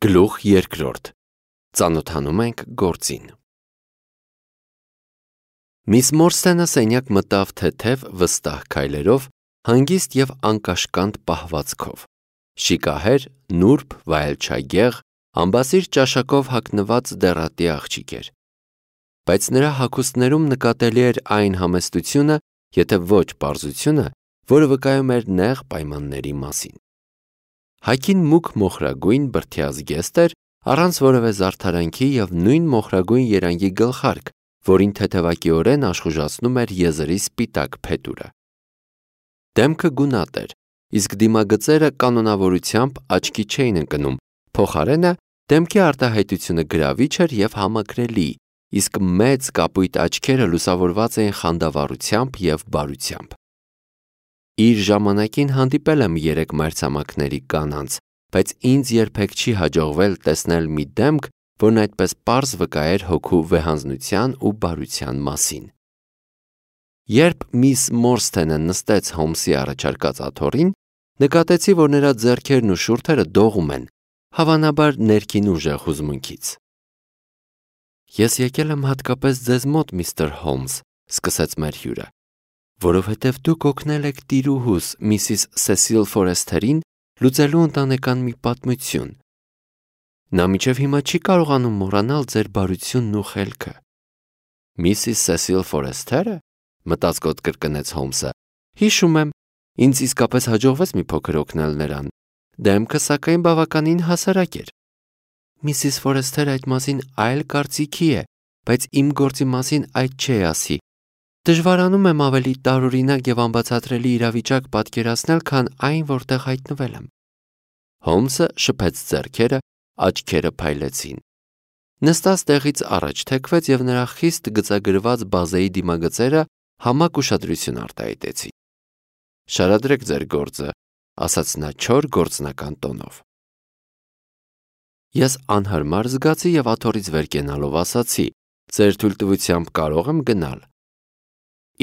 Գլուխ երկրորդ. Ծանոթանում ենք գործին։ Միս Մորսթենը սենյակ մտավ թեթև վստահ քայլերով, հանգիստ և անկաշկանդ պահվածքով։ Շիկահեր, նուրբ, վայելչագեղ, ամբասիր ճաշակով հագնված դեռատի աղջիկ էր։ Բայց նրա հագուստներում նկատելի էր այն համեստությունը, եթե ոչ պարզությունը, որը վկայում էր նեղ պայմանների մասին։ Հագին մուգ մոխրագույն բրդյա զգեստ էր, առանց որևէ զարդարանքի և նույն մոխրագույն երանգի գլխարկ, որին թեթևակիորեն աշխուժացնում էր եզրի սպիտակ փետուրը։ Դեմքը գունատ էր, իսկ դիմագծերը կանոնավորությամբ աչքի չէին ընկնում, փոխարենը դեմքի արտահայտությունը գրավիչ էր և համակրելի, իսկ մեծ կապույտ աչքերը լուսավորված էին խանդավառությամբ և բարությամբ։ Իր ժամանակին հանդիպել եմ 3 մայրցամաքների կանանց, բայց ինձ երբեք չի հաջողվել տեսնել մի դեմք, որն այդպես պարզ վկայեր հոգու վեհանձնության ու բարության մասին։ Երբ միս Մորսթենը նստեց Հոլմսի առաջարկած աթոռին, նկատեցի, որ նրա ձեռքերն ու շուրթերը դողում են, հավանաբար ներքին ուժեղ հուզմունքից։ «Ես եկել եմ հատկապես ձեզ մոտ, միստր Հոլմս», սկսեց մեր հյուրը, «որովհետև դուք օգնել եք տիրուհուս, Միսիս Սեսիլ Ֆորեսթերին, լուծելու ընտանեկան մի պատմություն։ Նա մինչև հիմա չի կարողանում մոռանալ ձեր բարությունն ու խելքը»։ «Միսիս Սեսիլ Ֆորեսթերը», մտածկոտ կրկնեց Հոլմսը, «հիշում եմ, ինձ իսկապես հաջողվեց մի փոքր օգնել նրան, դեմքը սակայն բավականին հասարակ էր։ Միսիս Ֆորեսթերը այդ մասին այլ կարծիքի է, բայց իմ գործի մասին այդ չէ ասի։ Դժվարանում եմ ավելի տարօրինակ և անբացատրելի իրավիճակ պատկերացնել, քան այն, որտեղ հայտնվել եմ»։ Հոլմսը շփեց ձեռքերը, աչքերը փայլեցին։ Նստած տեղից առաջ թեքվեց և նրա խիստ գծագրված բազեի դիմագծերը համակ ուշադրություն արտահայտեցին։ «Շարադրեք ձեր գործը», ասաց նա չոր գործնական տոնով։ Ես անհարմար զգացի և աթոռից վեր կենալով ասացի. «Ձեր թույլտվությամբ կարող եմ գնալ»։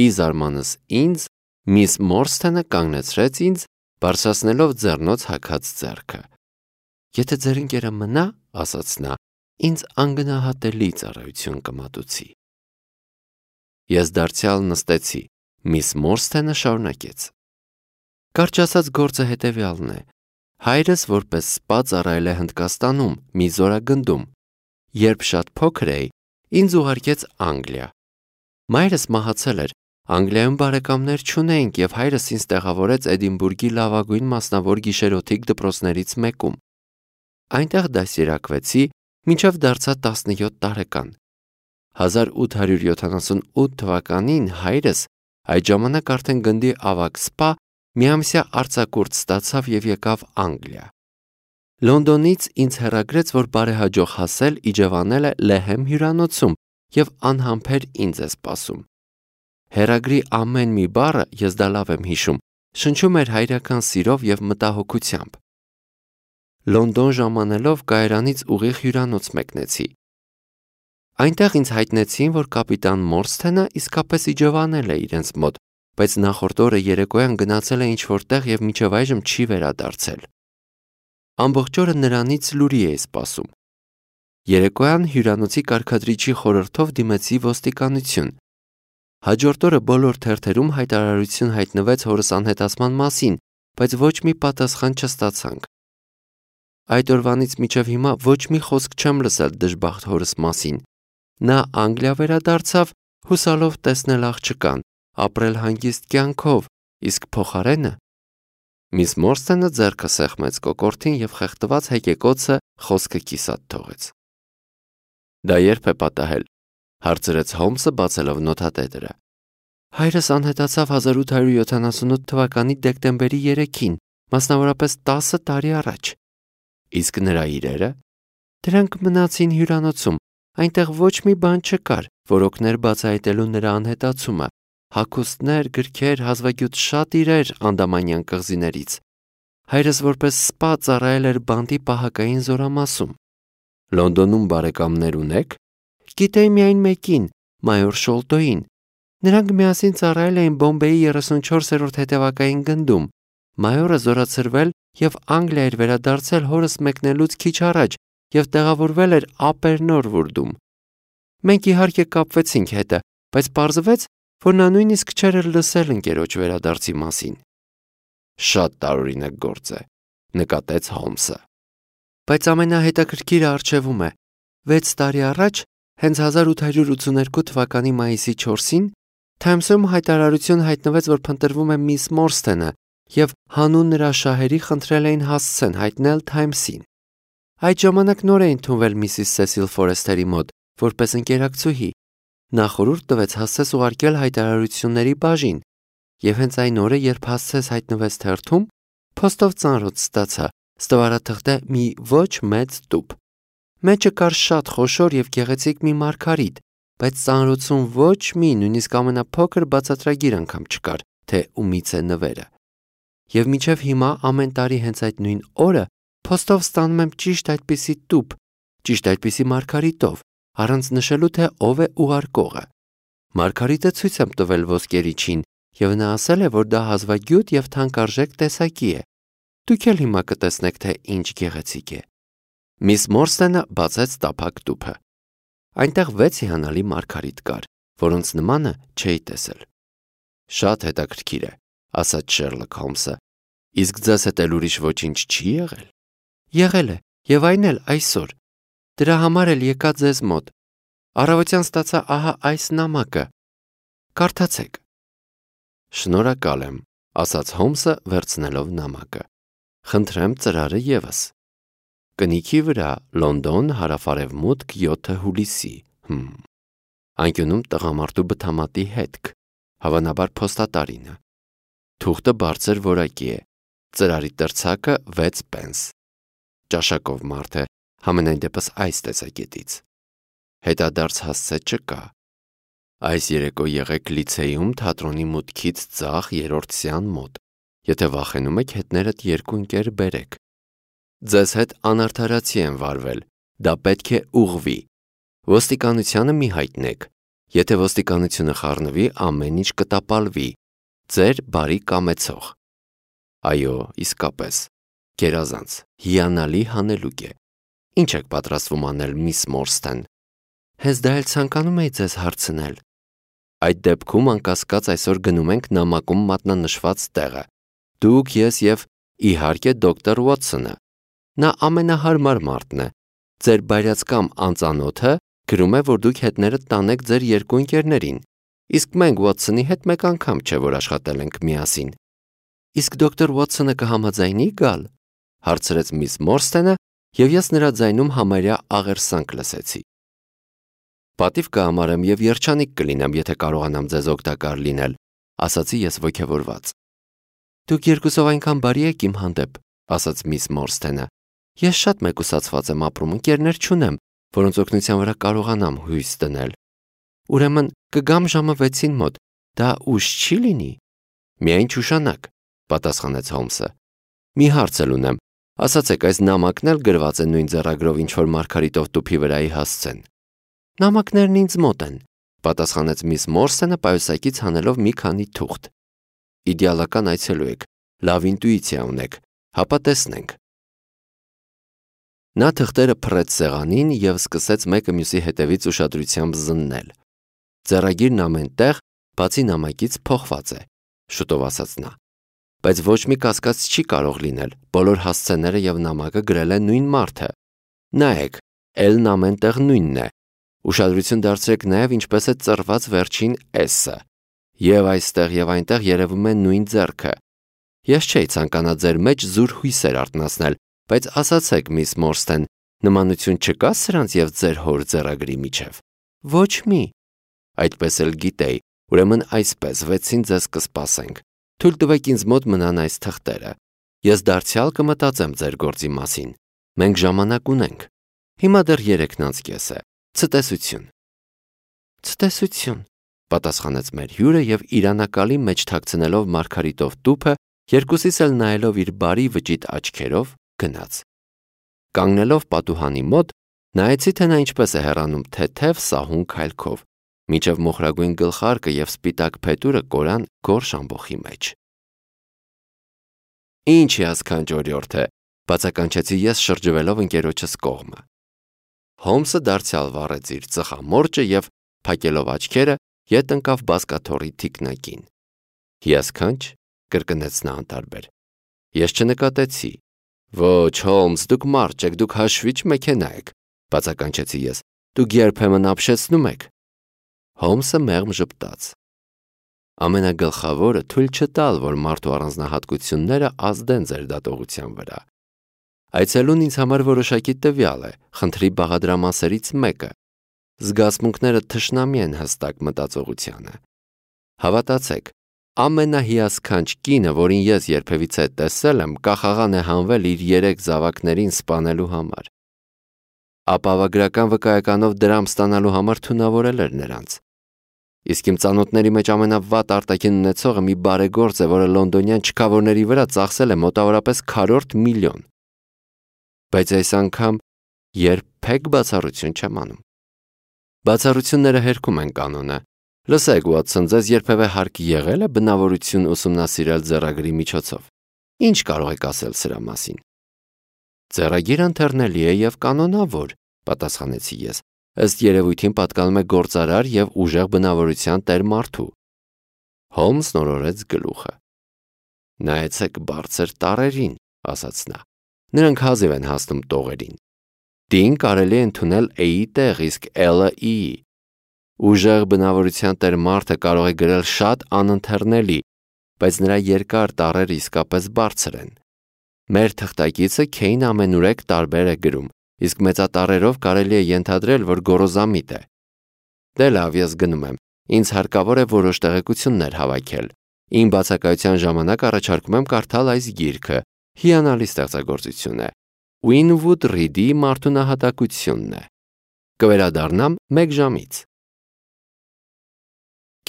Ի զարմանս ինձ, միս Մորսթենը կանգնեցրեց ինձ, բարձրացնելով ձեռնոց հագած ձեռքը։ «Եթե ձեր ընկերը մնա, — ասաց նա, — ինձ անգնահատելի ծառայություն կմատուցի»։ Ես դարձյալ նստեցի, միս Մորսթենը շարունակեց. «Կարճ ասած, գործը հետևյալն է. հայրս որպես սպա ծառայել է Հնդկաստանում, մի զորագնդում։ Երբ շատ փոքր էի, ինձ ուղարկեց Անգլիա։ Մայրս մահացել էր, Անգլիայում բարեկամներ չունեինք և հայրս ինձ տեղավորեց Էդինբուրգի լավագույն մասնավոր գիշերօթիկ դպրոցներից մեկում։ Այնտեղ դաստիարակվեցի, մինչև դարձա 17 տարեկան։ 1878 թվականին հայրս, այդ ժամանակ արդեն գնդի ավագ սպա, միամսյա արձակուրդ ստացավ և եկավ Անգլիա։ Լոնդոնից ինձ հեռագրեց, որ բարեհաջող հասել իջևանել է Լեհեմ հյուրանոցում և անհամբեր ինձ է սպասում։ Հեռագրի ամեն մի բառը, ես դա լավ եմ հիշում, շնչում էր հայրական սիրով և մտահոգությամբ։ Լոնդոն ժամանելով կայարանից ուղիղ հյուրանոց մեկնեցի։ Այնտեղ ինձ հայտնեցին, որ կապիտան Մորսթենը իսկապես իջևանել է իրենց մոտ, բայց նախորդ օրը երեկոյան գնացել է ինչ-որ տեղ և մինչև այժմ չի վերադարձել։ Ամբողջ օրը նրանից լուրի էի սպասում։ Երեկոյան հյուրանոցի կարգադրիչի խորհրդով դիմեցի ոստիկանություն։ Հաջորդ օրը բոլոր թերթերում հայտարարություն հայտնվեց հորս անհետացման մասին, բայց ոչ մի պատասխան չստացանք։ Այդ օրվանից մինչև հիմա ոչ մի խոսք չեմ լսել դժբախտ հորս մասին։ Նա Անգլիա վերադարձավ, հուսալով տեսնել աղջկան, ապրել հանգիստ կյանքով, իսկ փոխարենը… Միս Մորսթենը ձեռքը սեղմեց կոկորդին և խեղդված հեկեկոցը խոսքը կիսատ թողեց։ «Դա երբ է պատահել», հարցրեց Հոլմսը, բացելով նոթատետրը։ «Հայրս անհետացավ 1878 թվականի դեկտեմբերի 3-ին, մասնավորապես 10 տարի առաջ»։ «Իսկ նրա իրերը»։ «Դրանք մնացին հյուրանոցում, այնտեղ ոչ մի բան չկար, որ օգներ բացահայտելու նրա անհետացումը, հագուստներ, գրքեր, հազվագյուտ շատ իրեր Անդամանյան կղզիներից։ Հայրս որպես սպա ծառայել էր բանտի պահակային զորամասում»։ «Լոնդոնում բարեկամներ ունեք»։ «Գիտեի միայն մեկին, մայոր Շոլտոյին։ Նրանք միասին ծառայել էին Բոմբեյի 34-րդ հետևակային գնդում։ Մայորը զորացրվել և Անգլիա էր վերադարձել հորս մեկնելուց քիչ առաջ, և տեղավորվել էր ափերնոր վուրդում։ Մենք իհարկե կապվեցինք հետը, բայց պարզվեց, որ նա նույնիսկ չէր էլ լսել ընկերոջ վերադարձի մասին։ Շատ տարօրինակ գործ է, նկատեց Հոլմսը։ Բայց ամենահետաքրքիրը առջևում է։ 6 տարի առաջ, հենց 1882 թվականի մայիսի 4-ին, Թայմսում հայտարարություն հայտնվեց, որ փնտրվում է միս Մորսթենը, և հանուն նրա շահերի խնդրել էին հասցեն հայտնել Թայմսին։ Այդ ժամանակ նոր է ընդունվել միսիս Սեսիլ Ֆորեսթերի մոտ, որպես ընկերակցուհի։ Նա խորհուրդ տվեց Հասսես ուղարկել հայտարարությունների բաժին, և հենց այն օրը, երբ Հասսես հայտնվեց թերթում, փոստով ծանրոց ստացա, ստվարաթղթե մի ոչ մեծ տուփ։ Մեջը կար շատ խոշոր և գեղեցիկ մի մարգարիտ, բայց ծանրոցում ոչ մի, նույնիսկ ամենափոքր բացատրագիր անգամ չկար, թե ումից է նվերը։ Եվ մինչև հիմա ամեն տարի հենց այդ նույն օրը փոստով ստանում եմ ճիշտ այդպիսի տուփ, ճիշտ այդպիսի մարգարիտով, առանց նշելու, թե ով է ուղարկողը։ Մարգարիտը ցույց եմ տվել ոսկերիչին, և նա ասել է, որ դա հազվագյուտ և թանկարժեք տեսակի է։ Դուք էլ հիմա կտեսնեք, թե ինչ գեղեցիկ է։ Միս Մորսթենը բացեց տափակ տուփը։ Այնտեղ 6 հիանալի մարգարիտ կար, որոնց նմանը չէի տեսել։ Շատ հետաքրքիր է, ասաց Շերլոք Հոլմսը։ Իսկ ձեզ հետ էլ ուրիշ ոչինչ չի եղել։ Եղել է, և այն էլ այսօր։ Դրա համար էլ եկա ձեզ մոտ։ Առավոտյան ստացա ահա այս նամակը։ Կարդացեք։ Շնորհակալ եմ, ասաց Հոլմսը, վերցնելով նամակը։ Խնդրեմ ծրարը ևս։ Կնիքի վրա, Լոնդոն, հարավարևմուտք, 7 հուլիսի։ Անկյունում տղամարդու բթամատի հետք, հավանաբար փոստատարինը։ Թուղթը բարձր որակի է։ Ծրարի տրցակը 6 պենս։ Ճաշակով մարդ է, համենայն դեպս այս տեսակետից։ Հետադարձ հասցե չկա։ Այս երեկո եղեք լիցեյում թատրոնի մուտքից ձախ 3-րդ սյան մոտ։ Եթե վախենում եք, հետներդ 2 ընկեր բերեք։ Ձեզ հետ անարդարացի են վարվել, դա պետք է ուղղվի։ Ոստիկանությանը մի հայտնեք։ Եթե ոստիկանությունը խառնվի, ամեն ինչ կտապալվի։ Ձեր բարի կամեցող։ Այո, իսկապես, գերազանց, հիանալի հանելուկ է։ Ինչ եք պատրաստվում անել, միս Մորսթեն։ Հենց դա էլ ցանկանում էի ձեզ հարցնել։ Այդ դեպքում անկասկած այսօր գնում ենք նամակում մատնանշված տեղը։ Դուք, ես և իհարկե դոկտոր Ուոթսոնը։ Նա ամենահարմար մարդն է։ Ձեր բայրացկամ անծանոթը գրում է, որ դուք հետներդ տանեք ձեր 2 ընկերներին, իսկ մենք Ուոթսոնի հետ մեկ անգամ չէ, որ աշխատել ենք միասին։ Իսկ դոկտոր Ուոթսոնը կհամաձայնի գալ, հարցրեց միս Մորսթենը, և ես նրա ձայնում համարյա աղերսանք լսեցի։ Պատիվ կհամարեմ և երջանիկ կլինեմ, եթե կարողանամ ձեզ օգտակար լինել, ասացի ես ոգևորված։ Դուք երկուսով այնքան բարի եք իմ հանդեպ, ասաց միս Մորսթենը։ Ես շատ մեկուսացված եմ ապրում, ընկերներ չունեմ, որոնց օգնության վրա կարողանամ հույս դնել։ Ուրեմն կգամ ժամը 6-ին մոտ, դա ուշ չի լինի։ Միայն չուշանաք, պատասխանեց Հոլմսը։ Մի հարց էլ ունեմ, ասացեք, այս նամակն էլ գրված է նույն ձեռագրով, ինչ որ մարգարիտով տուփի վրայի հասցեն։ Նամակներն ինձ մոտ են, պատասխանեց միս Մորսթենը պայուսակից հանելով մի քանի թուղթ։ Իդեալական այցելու եք, լավ ինտուիցիա ունեք, հապա տեսնենք։ Նա թղթերը փռեց սեղանին և սկսեց մեկը մյուսի հետևից ուշադրությամբ զննել։ Ձեռագիրն ամեն տեղ, բացի նամակից, փոխված է, շուտով ասաց նա։ Բայց ոչ մի կասկած չի կարող լինել, բոլոր հասցեները և նամակը գրել է նույն մարդը։ Նայեք, L-ն ամեն տեղ նույնն է։ Ուշադրություն դարձրեք նաև ինչպես է ծռված վերջին S-ը։ Եվ այստեղ և այնտեղ երևում է նույն ձեռքը։ Ես չէի ցանկանա ձեր մեջ զուր հույսեր արթնացնել, բայց ասացեք, միս Մորսթեն, նմանություն չկա սրանց և ձեր հոր ձեռագրի միջև։ Ոչ մի։ Այդպես էլ գիտեի, ուրեմն այսպես 6-ին ձեզ կսպասենք։ Թույլ տվեք ինձ մոտ մնան այս թղթերը։ Ես դարձյալ կմտածեմ ձեր գործի մասին։ Մենք ժամանակ ունենք։ Հիմա դեռ 3-ն անց կես է։ Ցտեսություն։ Ցտեսություն, պատասխանեց մեր հյուրը և իրանակալի մեջ թաքցնելով մարգարիտով տուփը, երկուսիս էլ նայելով իր բարի վճիտ աչքերով, գնաց։ Կանգնելով պատուհանի մոտ, նայեցի, թե նա ինչպես է հեռանում թեթև սահուն քայլքով, մինչև մոխրագույն գլխարկը և սպիտակ փետուրը կորան գորշ ամբոխի մեջ։ Ինչ հիասքանչ օրիորդ է, բացականչեցի ես շրջվելով ընկերոջս կողմը։ Հոլմսը դարձյալ վառեց իր ծխամորճը և, փակելով աչքերը, ետ ընկավ բազկաթոռի թիկնակին։ Հիասքանչ, կրկնեց նա անտարբեր։ Ես չնկատեցի։ Ոչ, Հոլմս, դուք մարդ եք, դուք հաշվիչ մեքենա եք, բացականչեցի ես։ Դուք երբեմն ապշեցնում եք։ Հոլմսը մեղմ ժպտաց։ Ամենագլխավորը թույլ չտալ, որ մարդու առանձնահատկությունները ազդեն ձեր դատողության վրա։ Այցելուն ինձ համար որոշակի տվյալ է, խնդրի բաղադրամասերից մեկը։ Զգացմունքները թշնամի են հստակ մտածողությանը։ Հավատացեք, ամենահիասքանչ կինը, որին ես երբևիցե տեսել եմ, կախաղան է հանվել իր 3 զավակներին սպանելու համար։ Ապահովագրական վկայականով դրամ ստանալու համար թունավորել էր նրանց։ Իսկ իմ ծանոթների մեջ ամենավատ արտաքին ունեցողը մի բարեգործ է, որը լոնդոնյան չքավորների վրա ծախսել է մոտավորապես 1/4 միլիոն։ Բայց այս անգամ երբեք բացառություն չեմ անում։ Բացառությունները հերքում են կանոնը։ Լսեք, Ուոտսոն, ձեզ երբևէ հարկ եղել է բնավորություն ուսումնասիրել ձեռագրի միջոցով։ Ինչ կարող եք ասել սրա մասին։ Ձեռագիրը ընթեռնելի է և կանոնավոր, պատասխանեցի ես։ Ըստ երևույթին պատկանում է գործարար և ուժեղ բնավորության տեր մարդու։ Հոլմսն օրորեց գլուխը։ Նայեցեք բարձր տառերին, ասաց նա։ Նրանք հազիվ են հասնում տողերին։ D-ին կարելի է ընդունել E-ի տեղ, իսկ L-ը E-ի։ Ուժեղ բնավորության տեր մարդը կարող է գրել շատ անընթեռնելի, բայց նրա երկար տառերը իսկապես բարձր են։ Մեր թղթակիցը Քեյն ամենուրեք տարբեր է գրում, իսկ մեծատառերով կարելի է ենթադրել, որ գոռոզամիտ է։ Դե լավ, ես գնում եմ։ Ինձ հարկավոր է որոշ տեղեկություններ հավաքել։ Իմ բացակայության ժամանակ առաջարկում եմ կարդալ այս գիրքը։ Հիանալի ստեղծագործություն է։ Ուինվուդ Ռիդի մարդունահատակությունն է։ Կվերադառնամ 1 ժամից։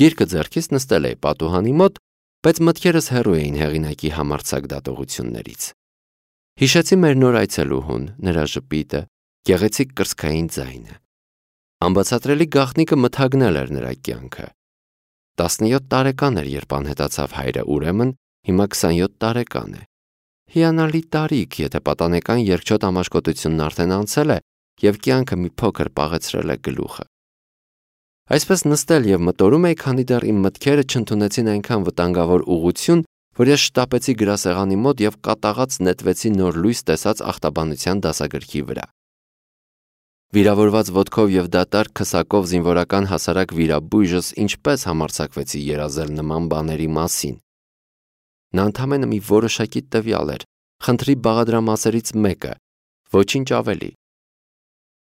Գիրքը ձեռքից նստել էի պատուհանի մոտ, բայց մտքերս հեռու էին հեղինակի համարձակ դատողություններից։ Հիշեցի մեր նոր այցելուհուն, նրա ժպիտը, գեղեցիկ կրծքային ձայնը։ Անբացատրելի գաղտնիքը մթագնել էր նրա կյանքը։ 17 տարեկան էր, երբ անհետացավ հայրը, ուրեմն հիմա 27 տարեկան է։ Հիանալի տարիք, եթե պատանեկան երկչոտ ամաչկոտությունն արդեն անցել է և կյանքը մի փոքր պաղեցրել է գլուխը։ Այսպես նստել և մտորում էի, քանի դեռ իմ մտքերը չընդունեցին այնքան վտանգավոր ուղղություն, որ ես շտապեցի գրասեղանի մոտ և կատաղած նետվեցի նոր լույս տեսած ախտաբանության դասագրքի վրա։ Վիրավորված ոտքով և դատարկ քսակով զինվորական հասարակ վիրաբույժս ինչպես համարձակվեցի երազել նման բաների մասին։ Նա ընդամենը մի որոշակի տվյալ էր, խնդրի բաղադրամասերից մեկը, ոչինչ ավելի։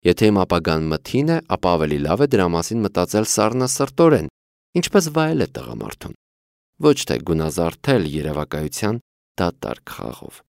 Եթե իմ ապագան մթին է, ապա ավելի լավ է դրա մասին մտածել սառնասրտորեն, ինչպես վայել է տղամարդուն, ոչ թե գունազարդել երևակայության դատարկ խաղով։